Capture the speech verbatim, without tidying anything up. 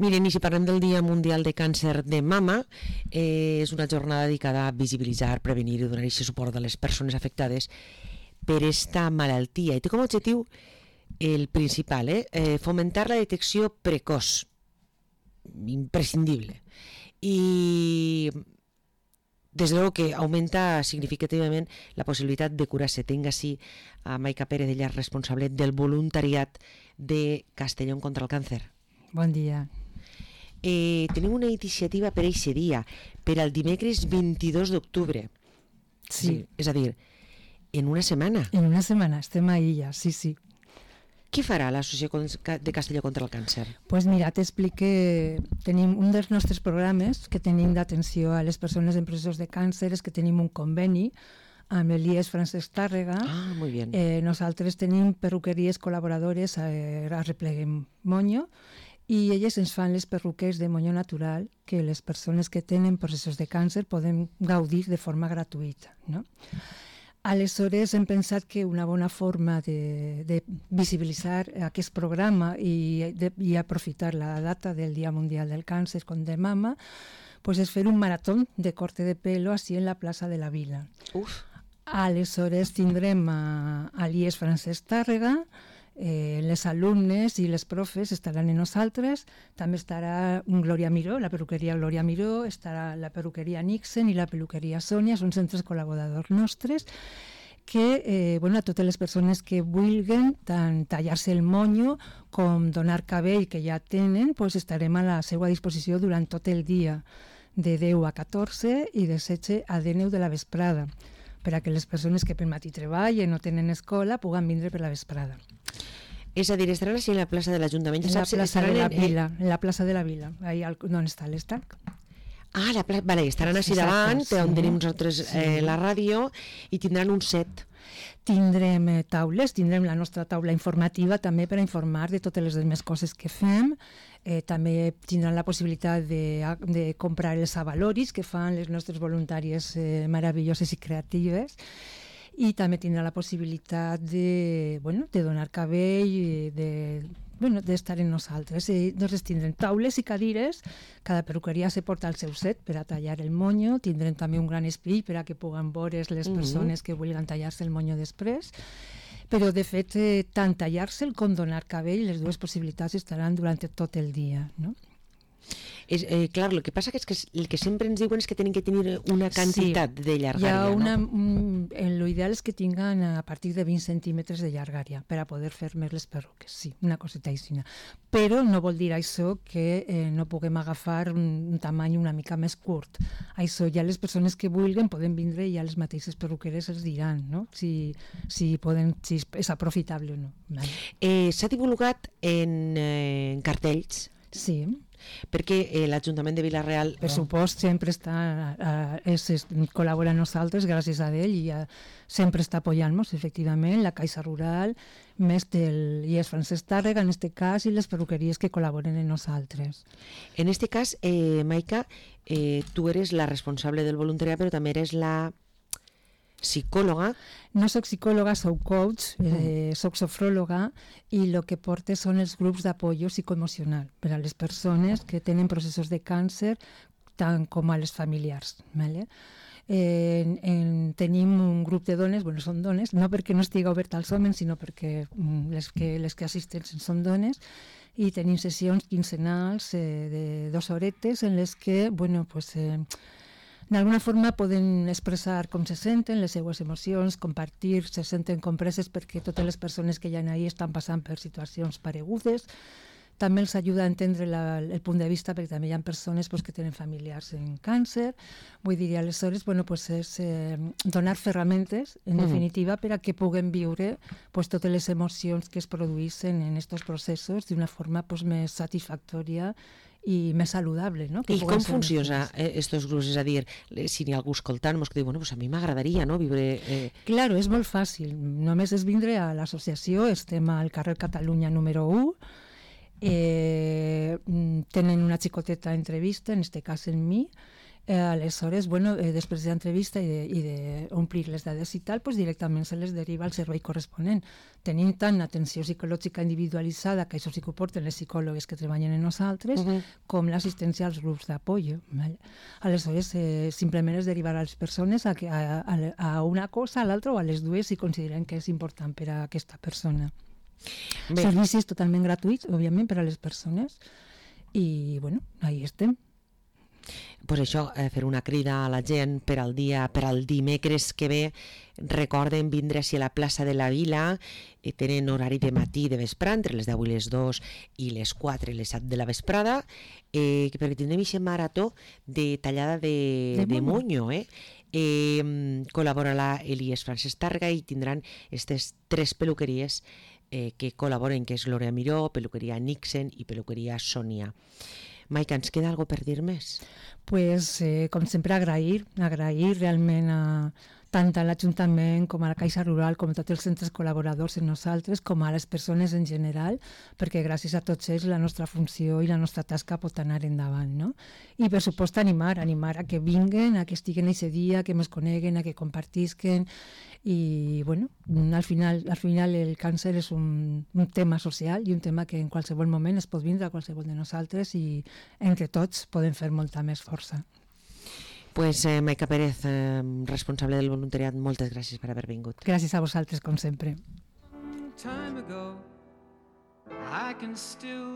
Miren, i si parlem del Dia Mundial de Càncer de Mama, eh, és una jornada dedicada a visibilitzar, prevenir i donar aquest suport a les persones afectades per esta malaltia. I té com a objectiu el principal, eh, eh, fomentar la detecció precoç, imprescindible. I desde luego que aumenta significativament la possibilitat de curar-se. Tinc així a Maica Pérez, ella és responsable del voluntariat de Castelló contra el càncer. Bon dia. Eh, tenim una iniciativa per aquest dia, per al dimecres vint-i-dos d'octubre. Sí. sí. És a dir, en una setmana. En una setmana, estem ahí ja, sí, sí. Què farà l'Associació de Castelló contra el Càncer? Pues mira, t'explique, tenim un dels nostres programes que tenim d'atenció a les persones en processos de càncer, és que tenim un conveni amb l'I E S Francesc Tàrrega. Ah, molt bé. Eh, nosaltres tenim perruqueries col·laboradores a, a Repleguem Moño, i elles ens fan les perruques de moño natural que les persones que tenen processos de càncer poden gaudir de forma gratuïta, no? Aleshores hem pensat que una bona forma de, de visibilitzar aquest programa i, de, i aprofitar la data del Dia Mundial del Càncer de Mama pues és fer un marató de corte de pelo així en la plaça de la Vila. Uf. Aleshores tindrem a, a l'I E S Francesc Tàrrega, Eh, les alumnes i les profes estaran en nosaltres, també estarà Glòria Miró, la perruqueria Glòria Miró, estarà la perruqueria Nixon i la peluqueria Sònia, són centres col·laboradors nostres que, eh, bueno, a totes les persones que vulguin tant tallar-se el monyo com donar cabell que ja tenen, pues estarem a la seva disposició durant tot el dia, de deu a catorze i de setze a deu de la vesprada, per a que les persones que pel matí treballen o tenen escola puguen vindre per la vesprada. És a dir, estaran així en la plaça de l'Ajuntament. En la plaça de la Vila, en la plaça de la Vila, ahí on està l'Estac. Ah, la plaça, vale, estaran així davant, sí, on tenim nosaltres eh, la ràdio, i tindran un set. Tindrem eh, taules, tindrem la nostra taula informativa també per a informar de totes les demés coses que fem. Eh, també tindran la possibilitat de, de comprar els avaloris que fan les nostres voluntàries eh, meravelloses i creatives. I també tindrà la possibilitat de, bueno, de donar cabell i de, bueno, d'estar en nosaltres. I, doncs tindrem taules i cadires, cada perruqueria se porta el seu set per a tallar el monyo, tindrem també un gran espill per a que puguen veure les persones que vulguin tallar-se el monyo després, però de fet eh, tant tallar-se'l com donar cabell, les dues possibilitats estaran durant tot el dia, no? És, eh, clar, el que passa que és que el que sempre ens diuen és que tenen que tenir una quantitat sí, de llargària, una, no? Un, l'ideal és que tinguin a partir de vint centímetres de llargària per a poder fer més les perruques, sí, una coseta així. Però no vol dir això que eh, no puguem agafar un, un tamany una mica més curt. Això ja les persones que vulguin poden vindre i ja les mateixes perruqueres els diran, no? Si, si, poden, si és aprofitable o no. Vale. Eh, S'ha divulgat en, eh, en cartells? Sí. Perquè eh, l'Ajuntament de Vila-real... Per supost, sempre està, eh, és, és, col·labora amb nosaltres, gràcies a ell, i eh, sempre està apoyant-nos, efectivament, la Caixa Rural, més del I E S Francesc Tàrrega, en este cas, i les perruqueries que col·laboren en nosaltres. En este cas, eh, Maica, eh, tu eres la responsable del voluntariat, però també eres la psicòloga. No soc psicòloga, soc coach, eh, soc sofròloga, i el que porto són els grups d'apoyo psicoemocional per a les persones que tenen processos de càncer, tant com a les familiars. Vale? Eh, en, en, tenim un grup de dones, bueno, són dones, no perquè no estigui obert als homes, sinó perquè mm, les, que, les que assisteixen són dones, i tenim sessions quinzenals eh, de dues horetes en les que, bueno, pues... Eh, d'alguna forma poden expressar com se senten, les seues emocions, compartir, se senten compreses perquè totes les persones que hi ha ahí estan passant per situacions paregudes. També els ajuda a entendre la, el punt de vista, perquè també hi ha persones pues, que tenen familiars en càncer. Vull dir, aleshores, bueno, pues és eh, donar ferramentes, en mm. definitiva, per a que puguen viure pues, totes les emocions que es produeixen en aquests processos d'una forma pues, més satisfactòria i més saludable, no? Que I com funciona estos grups? És a dir, si n'hi ha algú escoltant, que diu, bueno, pues a mi m'agradaria, no?, viure... Eh... Claro, és molt fàcil. Només és vindre a l'associació, estem al carrer Catalunya número u, eh, tenen una xicoteta entrevista, en este cas en mi, Eh, aleshores, bueno, eh, després de l'entrevista i, de, i d'omplir les dades i tal, pues directament se les deriva al servei corresponent. Tenim tant atenció psicològica individualitzada, que això sí que ho porten les psicòlogues que treballen en nosaltres, uh -huh. com l'assistència als grups d'apoyo. Vale? Aleshores, eh, simplement es derivar a les persones a, a, a, a una cosa, a l'altra o a les dues si consideren que és important per a aquesta persona. Bé. Servicis totalment gratuïts, òbviament, per a les persones. I, bueno, ahí estem. Pues això, eh, fer una crida a la gent per al dia, per al dimecres que ve. Recorden vindre així a la plaça de la Vila, eh, tenen horari de matí i de vesprà, entre les deu i les dos i les quatre i les set de la vesprada, eh, perquè tindrem aquest marató de tallada de, de, de monyo, eh? Eh, col·laborarà Elies Francesc Targa i tindran aquestes tres peluqueries eh, que col·laboren, que és L'Orea Miró, Peluqueria Nixen i Peluqueria Sònia. Maica, ens queda alguna per dir més? Pues, eh, com sempre, agrair, agrair realment a, tant a l'Ajuntament com a la Caixa Rural, com a tots els centres col·laboradors en nosaltres, com a les persones en general, perquè gràcies a tots ells la nostra funció i la nostra tasca pot anar endavant, no? I per supost animar, animar a que vinguen, a que estiguen aquest dia, que ens coneguen, a que compartisquen, i bueno, al final, al final el càncer és un, un tema social i un tema que en qualsevol moment es pot vindre a qualsevol de nosaltres i entre tots podem fer molta més força. Pues eh, Maica Pérez, eh, responsable del voluntariat, moltes gràcies per haver vingut. Gràcies a vosaltres, com sempre.